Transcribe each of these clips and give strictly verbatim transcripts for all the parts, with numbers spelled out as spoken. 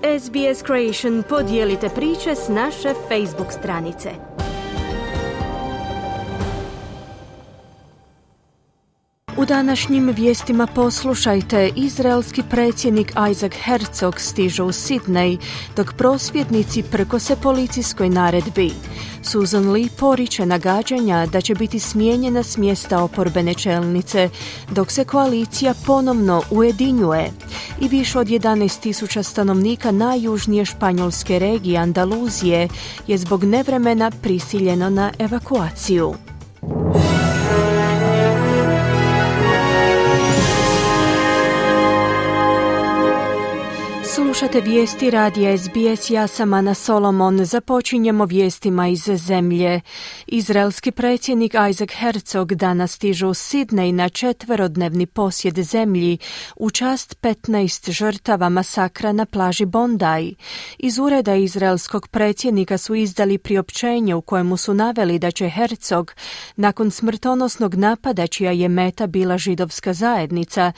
S B S Creation podijelite priče s naše Facebook stranice. U današnjim vijestima poslušajte, izraelski predsjednik Isaac Herzog stiže u Sidney, dok prosvjednici prkose policijskoj naredbi. Susan Lee poriče nagađanja da će biti smijenjena s mjesta oporbene čelnice, dok se koalicija ponovno ujedinjuje. I više od jedanaest tisuća stanovnika najjužnije španjolske regije Andaluzije je zbog nevremena prisiljeno na evakuaciju. Slušate vijesti radija S B S, ja sam Ana Solomon. Započinjemo vijestima iz zemlje. Izraelski predsjednik Isaac Herzog danas stiže u Sidney na četverodnevni posjet zemlji u čast petnaest žrtava masakra na plaži Bondi. Iz ureda izraelskog predsjednika su izdali priopćenje u kojemu su naveli da će Herzog, nakon smrtonosnog napada čija je meta bila židovska zajednica,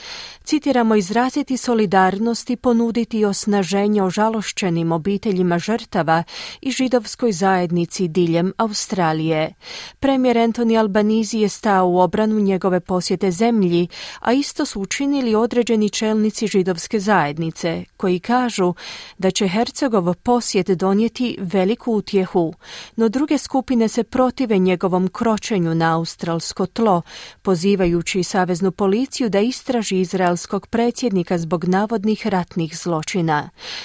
citiramo, izraziti solidarnost i ponuditi osnaženje ožalošćenim obiteljima žrtava i židovskoj zajednici diljem Australije. Premijer Anthony Albanese je stao u obranu njegove posjete zemlji, a isto su učinili određeni čelnici židovske zajednice, koji kažu da će Herzogov posjet donijeti veliku utjehu, no druge skupine se protive njegovom kročenju na australsko tlo, pozivajući saveznu policiju da istraži izraelskog predsjednika zbog navodnih ratnih zločina.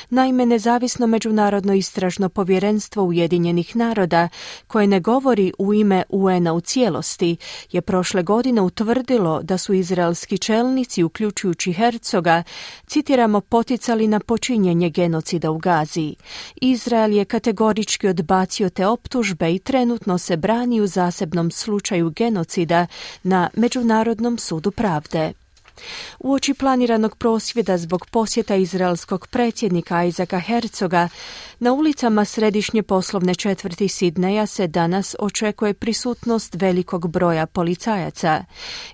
Naime, nezavisno međunarodno istražno povjerenstvo Ujedinjenih naroda, koje ne govori u ime U N-a u cijelosti, je prošle godine utvrdilo da su izraelski čelnici, uključujući Herzoga, citiramo, poticali na počinjenje genocida u Gazi. Izrael je kategorički odbacio te optužbe i trenutno se brani u zasebnom slučaju genocida na Međunarodnom sudu pravde. Uoči planiranog prosvjeda zbog posjeta izraelskog predsjednika Isaaca Herzoga, na ulicama središnje poslovne četvrti Sidneja se danas očekuje prisutnost velikog broja policajaca.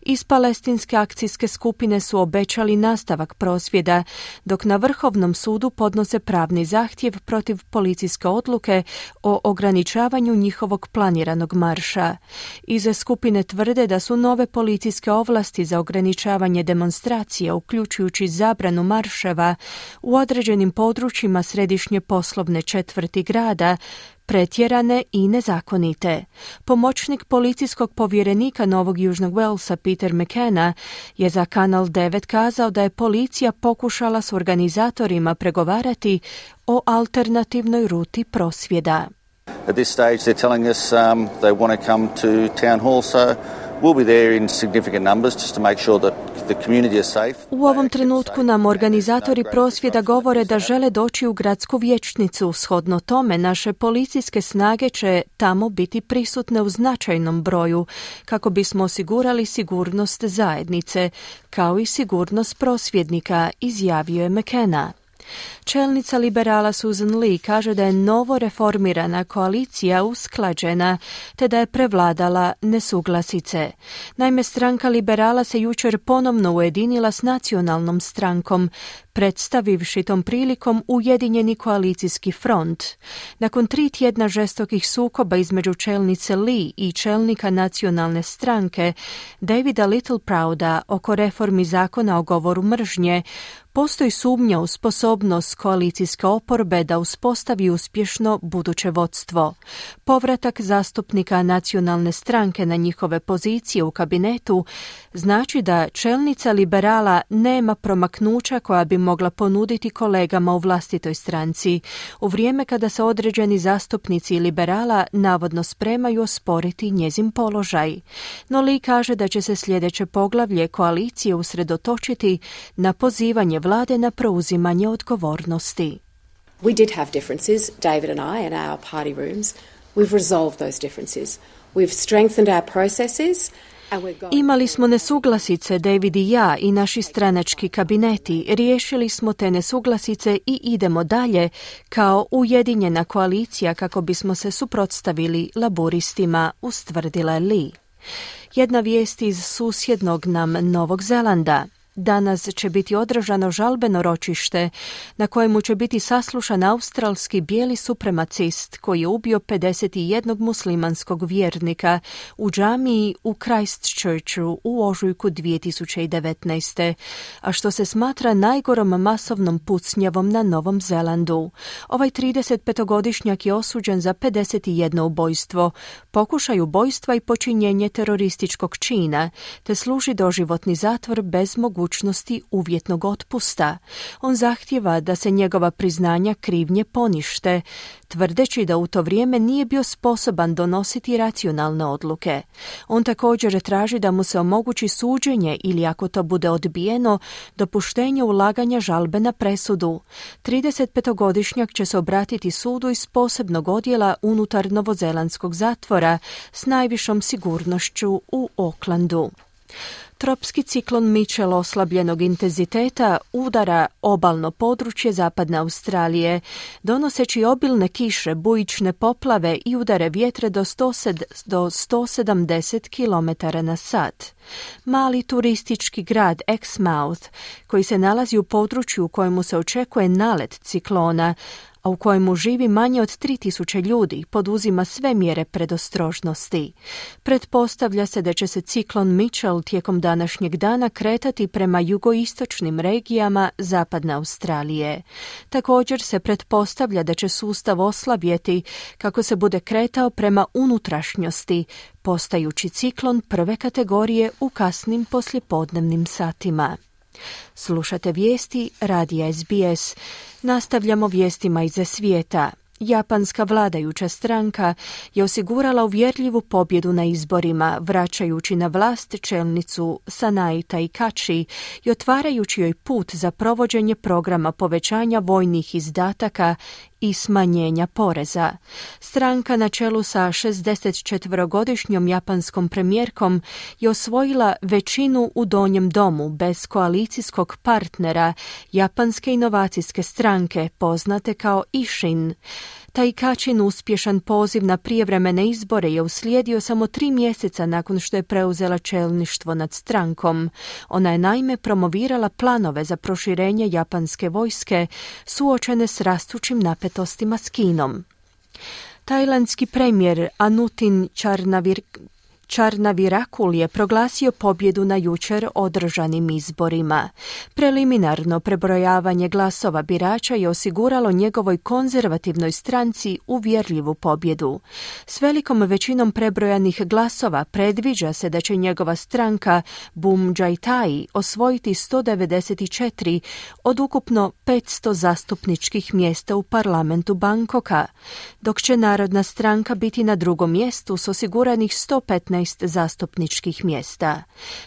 Iz palestinske akcijske skupine su obećali nastavak prosvjeda, dok na Vrhovnom sudu podnose pravni zahtjev protiv policijske odluke o ograničavanju njihovog planiranog marša. Iz skupine tvrde da su nove policijske ovlasti za ograničavanje demonstracija, uključujući zabranu marševa u određenim područjima središnje poslovne četvrti grada, pretjerane i nezakonite. Pomoćnik policijskog povjerenika Novog Južnog Walesa Peter McKenna je za Kanal devet kazao da je policija pokušala s organizatorima pregovarati o alternativnoj ruti prosvjeda. At this stage they're telling us um, they want to come to town hall, so we'll be there in significant numbers just to make sure that the community is safe. U ovom trenutku nam organizatori prosvjeda govore da žele doći u gradsku vijećnicu. Shodno tome, naše policijske snage će tamo biti prisutne u značajnom broju kako bismo osigurali sigurnost zajednice, kao i sigurnost prosvjednika, izjavio je McKenna. Čelnica liberala Susan Lee kaže da je novo reformirana koalicija usklađena te da je prevladala nesuglasice. Naime, stranka liberala se jučer ponovno ujedinila s nacionalnom strankom, predstavivši tom prilikom ujedinjeni koalicijski front. Nakon tri tjedna žestokih sukoba između čelnice Lee i čelnika nacionalne stranke Davida Littleprouda oko reformi zakona o govoru mržnje, postoji sumnja u sposobnost koalicijske oporbe da uspostavi uspješno buduće vodstvo. Povratak zastupnika nacionalne stranke na njihove pozicije u kabinetu znači da čelnica liberala nema promaknuća koja bi mogla ponuditi kolegama u vlastitoj stranci, u vrijeme kada se određeni zastupnici liberala navodno spremaju osporiti njezin položaj. No Lee kaže da će se sljedeće poglavlje koalicije usredotočiti na pozivanje vlade na preuzimanje odgovornosti. We did have differences, David and I, in our party rooms. We've resolved those differences. We've strengthened our processes. Imali smo nesuglasice, David i ja, i naši stranački kabineti. Riješili smo te nesuglasice i idemo dalje kao ujedinjena koalicija kako bismo se suprotstavili laburistima, ustvrdila je Lee. Jedna vijest iz susjednog nam Novog Zelanda. Danas će biti održano žalbeno ročište na kojemu će biti saslušan australski bijeli supremacist koji je ubio pedeset jedan muslimanskog vjernika u džamiji u Christchurchu u ožujku dvije tisuće devetnaeste. a što se smatra najgorom masovnom pucnjavom na Novom Zelandu. Ovaj tridesetpetogodišnjak je osuđen za pedeset jedno ubojstvo, pokušaj ubojstva i počinjenje terorističkog čina, te služi doživotni zatvor bez mogućnosti uvjetnog otpusta. On zahtijeva da se njegova priznanja krivnje ponište, tvrdeći da u to vrijeme nije bio sposoban donositi racionalne odluke. On također traži da mu se omogući suđenje ili, ako to bude odbijeno, dopuštenje ulaganja žalbe na presudu. tridesetpetogodišnjak će se obratiti sudu iz posebnog odjela unutar novozelandskog zatvora s najvišom sigurnošću u Aucklandu. Tropski ciklon Mitchell oslabljenog intenziteta udara obalno područje zapadne Australije, donoseći obilne kiše, bujične poplave i udare vjetre do sto sedamdeset kilometara na sat. Mali turistički grad Exmouth, koji se nalazi u području u kojemu se očekuje nalet ciklona, a u kojemu živi manje od tri tisuće ljudi, poduzima sve mjere predostrožnosti. Pretpostavlja se da će se ciklon Mitchell tijekom današnjeg dana kretati prema jugoistočnim regijama zapadne Australije. Također se pretpostavlja da će sustav oslabjeti kako se bude kretao prema unutrašnjosti, postajući ciklon prve kategorije u kasnim poslijepodnevnim satima. Slušate vijesti radija S B S. Nastavljamo vijestima iz svijeta. Japanska vladajuća stranka je osigurala uvjerljivu pobjedu na izborima, vraćajući na vlast čelnicu Sanae Taikachi i otvarajući joj put za provođenje programa povećanja vojnih izdataka i smanjenja poreza. Stranka na čelu sa šezdesetčetverogodišnjom japanskom premijerkom je osvojila većinu u donjem domu bez koalicijskog partnera japanske inovacijske stranke poznate kao Ishin. Taikachin uspješan poziv na prijevremene izbore je uslijedio samo tri mjeseca nakon što je preuzela čelništvo nad strankom. Ona je naime promovirala planove za proširenje japanske vojske suočene s rastućim napetostima s Kinom. Tajlandski premijer Anutin Charnavir Charnavirakul je proglasio pobjedu na jučer održanim izborima. Preliminarno prebrojavanje glasova birača je osiguralo njegovoj konzervativnoj stranci uvjerljivu pobjedu. S velikom većinom prebrojanih glasova predviđa se da će njegova stranka Bum Jai Tai osvojiti sto devedeset četiri od ukupno petsto zastupničkih mjesta u parlamentu Bangkoka, dok će Narodna stranka biti na drugom mjestu s osiguranih sto petnaest zastupničkih mjesta.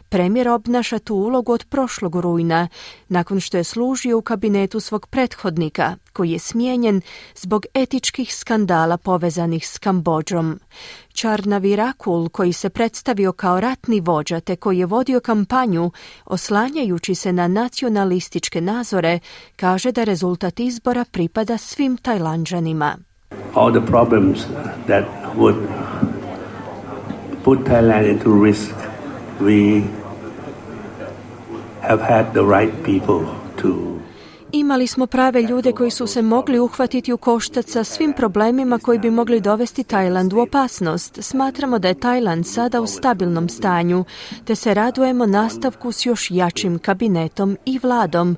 Premijer obnaša tu ulogu od prošlog rujna, nakon što je služio u kabinetu svog prethodnika, koji je smijenjen zbog etičkih skandala povezanih s Kambodžom. Charnavirakul, koji se predstavio kao ratni vođa te koji je vodio kampanju oslanjajući se na nacionalističke nazore, kaže da rezultat izbora pripada svim Tajlanđanima. All the problems that would put Thailand into risk, we have had the right people to Imali smo prave ljude koji su se mogli uhvatiti u koštac sa svim problemima koji bi mogli dovesti Tajland u opasnost. Smatramo da je Tajland sada u stabilnom stanju, te se radujemo nastavku s još jačim kabinetom i vladom,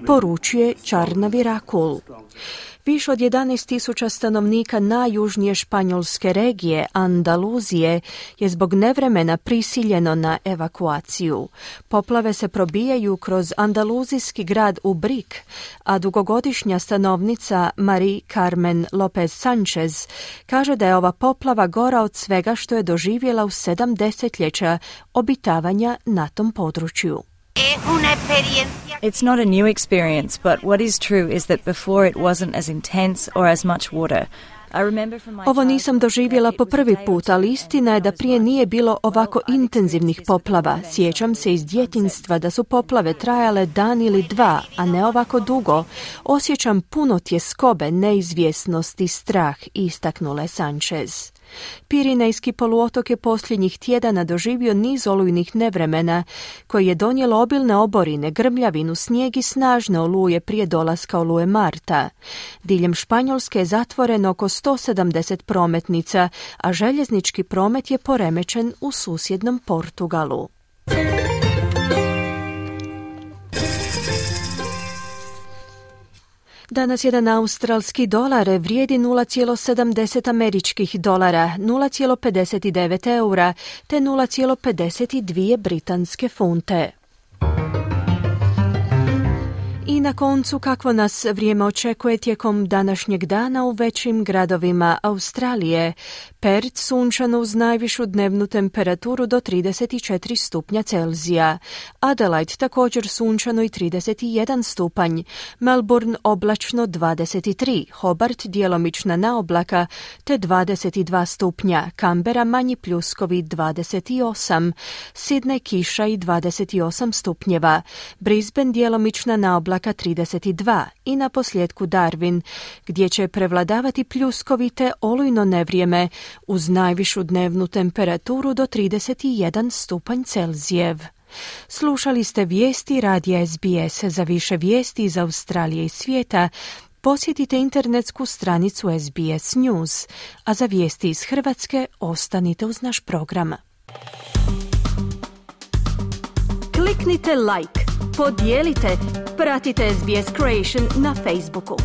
poručuje Charnavirakul. Više od jedanaest tisuća stanovnika najjužnije španjolske regije, Andaluzije, je zbog nevremena prisiljeno na evakuaciju. Poplave se probijaju kroz andaluzijski grad Ubrik, a dugogodišnja stanovnica Marie Carmen Lopez Sanchez kaže da je ova poplava gora od svega što je doživjela u sedam desetljeća obitavanja na tom području. It's not a new experience, but what is true is that before it wasn't as intense or as much water. Ovo nisam doživjela po prvi put, ali istina je da prije nije bilo ovako intenzivnih poplava. Sjećam se iz djetinjstva da su poplave trajale dan ili dva, a ne ovako dugo. Osjećam puno tjeskobe, neizvjesnosti, strah, istaknula je Sanchez. Pirinejski poluotok je posljednjih tjedana doživio niz olujnih nevremena koji je donijelo obilne oborine, grmljavinu, snijeg i snažne oluje prije dolaska oluje marta. Diljem Španjolske je zatvoreno oko sto sedamdeset prometnica, a željeznički promet je poremećen u susjednom Portugalu. Danas jedan australski dolar vrijedi nula zarez sedamdeset američkih dolara, nula zarez pedeset devet eura te nula zarez pedeset dvije britanske funte. I na koncu, kakvo nas vrijeme očekuje tijekom današnjeg dana u većim gradovima Australije. Perth sunčano uz najvišu dnevnu temperaturu do trideset četiri stupnja Celzija. Adelaide također sunčano i trideset jedan stupanj. Melbourne oblačno dvadeset tri. Hobart djelomična naoblaka te dvadeset dva stupnja. Canberra manji pljuskovi dvadeset osam. Sydney kiša i dvadeset osam stupnjeva. Brisbane djelomična naoblaka trideset dva i na posljedku Darwin, gdje će prevladavati pljuskovite olujno nevrijeme uz najvišu dnevnu temperaturu do trideset jedan stupanj Celzijev. Slušali ste vijesti radija S B S. Za više vijesti iz Australije i svijeta posjetite internetsku stranicu S B S News, a za vijesti iz Hrvatske ostanite uz naš program. Kliknite like, podijelite, pratite S B S Creation na Facebooku.